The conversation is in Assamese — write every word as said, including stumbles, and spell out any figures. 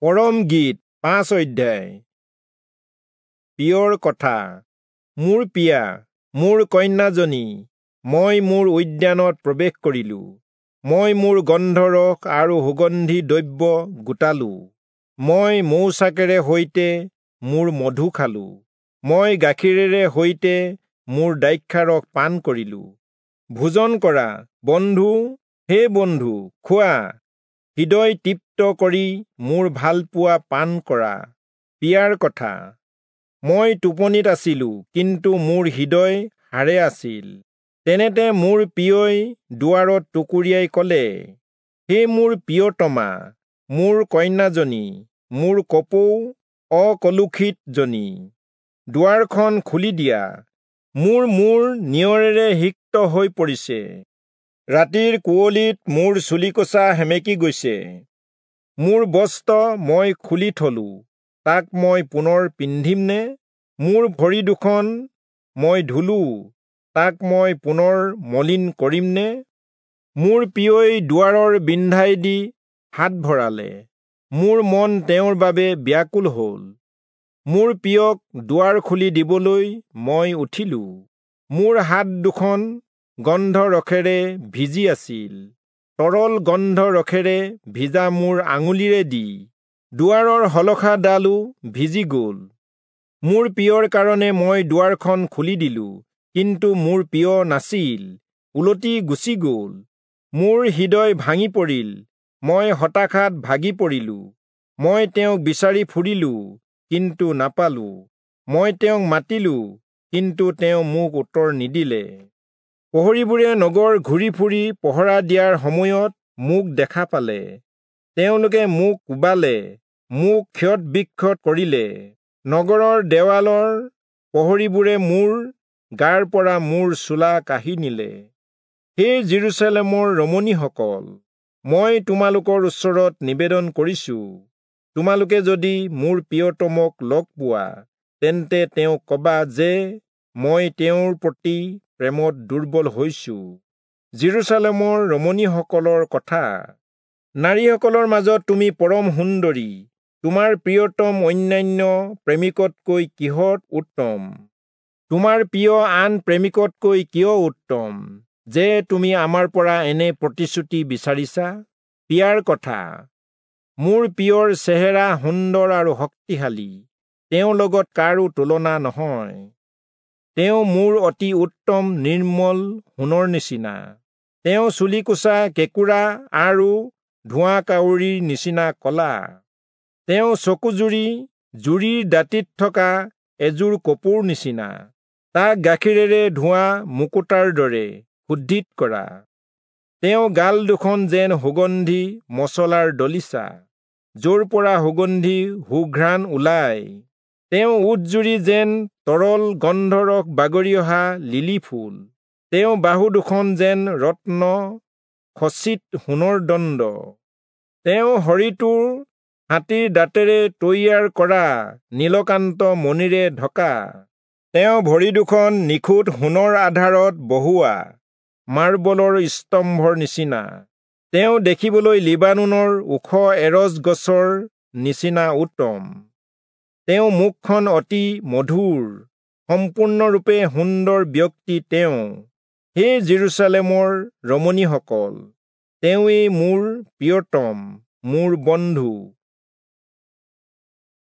পৰম গীত পাঁচ অধ্যায়। প্ৰিয়ৰ কথা। মোৰ প্ৰিয়া, মোৰ কন্যাজনী, মই মোৰ উদ্যানত প্ৰৱেশ কৰিলো। মই মোৰ গন্ধৰস আৰু সুগন্ধি দ্ৰব্য গোটালো। মই মৌচাকেৰে সৈতে মোৰ মধু খালো। মই গাখীৰেৰে সৈতে মোৰ দ্ৰাক্ষাৰস পান কৰিলো। ভোজন কৰা বন্ধু, হে বন্ধু, খোৱা, হৃদয় তৃপ্ত কৰি মোৰ ভালপোৱা পান কৰা। প্ৰিয়াৰ কথা। মই টোপনিত আছিলো, কিন্তু মোৰ হৃদয় সাৰে আছিল। তেনেতে মোৰ প্ৰিয়ই দুৱাৰত টুকুৰিয়াই কলে, হে মোৰ প্ৰিয়তমা, মোৰ কন্যাজনী, মোৰ কপৌ অকলুষিতজনী, দুৱাৰখন খুলি দিয়া। মোৰ মূৰ নিয়ৰেৰে সিক্ত হৈ পৰিছে। ৰাতিৰ কুঁৱলীত মোৰ চুলিকোচা সেমেকি গৈছে। মোৰ বস্ত্ৰ মই খুলি থলো, তাক মই পুনৰ পিন্ধিমনে? মোৰ ভৰি দুখন মই ধুলো, তাক মই পুনৰ মলিন কৰিমনে? মোৰ প্ৰিয়ই দুৱাৰৰ বিন্ধাই দি হাত ভৰালে। মোৰ মন তেওঁৰ বাবে ব্যাকুল হল। মোৰ প্ৰিয়ক দুৱাৰ খুলি দিবলৈ মই উঠিলো। মোৰ হাত দুখন গন্ধৰসেৰে ভিজি আছিল। তৰল গন্ধৰসেৰে ভিজা মোৰ আঙুলিৰে দি দুৱাৰৰ শলখাডালো ভিজি গল। মোৰ প্ৰিয়ৰ কাৰণে মই দুৱাৰখন খুলি দিলো, কিন্তু মোৰ প্ৰিয় নাছিল, উলটি গুচি গল। মোৰ হৃদয় ভাঙি পৰিল, মই হতাশাত ভাগি পৰিলো। মই তেওঁক বিচাৰি ফুৰিলো, কিন্তু নাপালো। মই তেওঁক মাতিলো, কিন্তু তেওঁ মোক উত্তৰ নিদিলে। প্ৰহৰীবোৰে নগৰ ঘূৰি ফুৰি পহৰা দিয়াৰ সময়ত মোক দেখা পালে। তেওঁলোকে মোক কোবালে, মোক ক্ষত বিক্ষত কৰিলে। নগৰৰ দেৱালৰ প্ৰহৰীবোৰে মোৰ গাৰ পৰা মোৰ চোলা কাঢ়ি নিলে। হে যিৰূচালেমৰ ৰমণীসকল, মই তোমালোকৰ ওচৰত নিবেদন কৰিছো, তোমালোকে যদি মোৰ প্ৰিয়তমক লগ পোৱা, তেন্তে তেওঁক কবা যে মই তেওঁৰ প্ৰতি প্ৰেমত দুৰ্বল হৈছো। যিৰূচালেমৰ ৰমণীসকলৰ কথা। নাৰীসকলৰ মাজত তুমি পৰম সুন্দৰী, তোমাৰ প্ৰিয়তম অন্যান্য প্ৰেমিকতকৈ কিহত উত্তম? তোমাৰ প্ৰিয় আন প্ৰেমিকতকৈ কিয় উত্তম, যে তুমি আমাৰ পৰা এনে প্ৰতিশ্ৰুতি বিচাৰিছা? প্ৰিয়াৰ কথা। মোৰ প্ৰিয়ৰ চেহেৰা সুন্দৰ আৰু শক্তিশালী, তেওঁৰ লগত কাৰো তুলনা নহয়। তেওঁ মোৰ অতি উত্তম নিৰ্মল সোণৰ নিচিনা। তেওঁ চুলিকোচা কেঁকোৰা আৰু ধোঁৱা কাউৰীৰ নিচিনা কলা। তেওঁ চকুজুৰি জুৰিৰ দাঁতিত থকা এযোৰ কপৌৰ নিচিনা। তাক গাখীৰেৰে ধোঁৱা মুকুতাৰ দৰে শুদ্ধিত কৰা। তেওঁ গাল দুখন যেন সুগন্ধি মচলাৰ দলিচা, য'ৰ পৰা সুগন্ধি সুঘ্ৰাণ ওলায়। তেওঁ ওঁঠজুৰি যেন তৰল গন্ধৰস বাগৰি অহা লিলি ফুল। তেওঁ বাহু দুখন যেন ৰত্ন খচিত সোণৰ দণ্ড। তেওঁ শৰীৰটো হাতীৰ দাঁতেৰে তৈয়াৰ কৰা নীলকান্ত মণিৰে ঢকা। তেওঁ ভৰি দুখন নিখুঁত সোণৰ আধাৰত বহুৱা মাৰ্বলৰ স্তম্ভৰ নিচিনা। তেওঁ দেখিবলৈ লিবানোনৰ ওখ এৰজ গছৰ নিচিনা উত্তম। তেওঁ মুখখন অতি মধুৰ, সম্পূৰ্ণৰূপে সুন্দৰ ব্যক্তি তেওঁ। হে যিৰূচালেমৰ ৰমণীসকল, তেওঁৱেই মোৰ প্ৰিয়তম, মোৰ বন্ধু।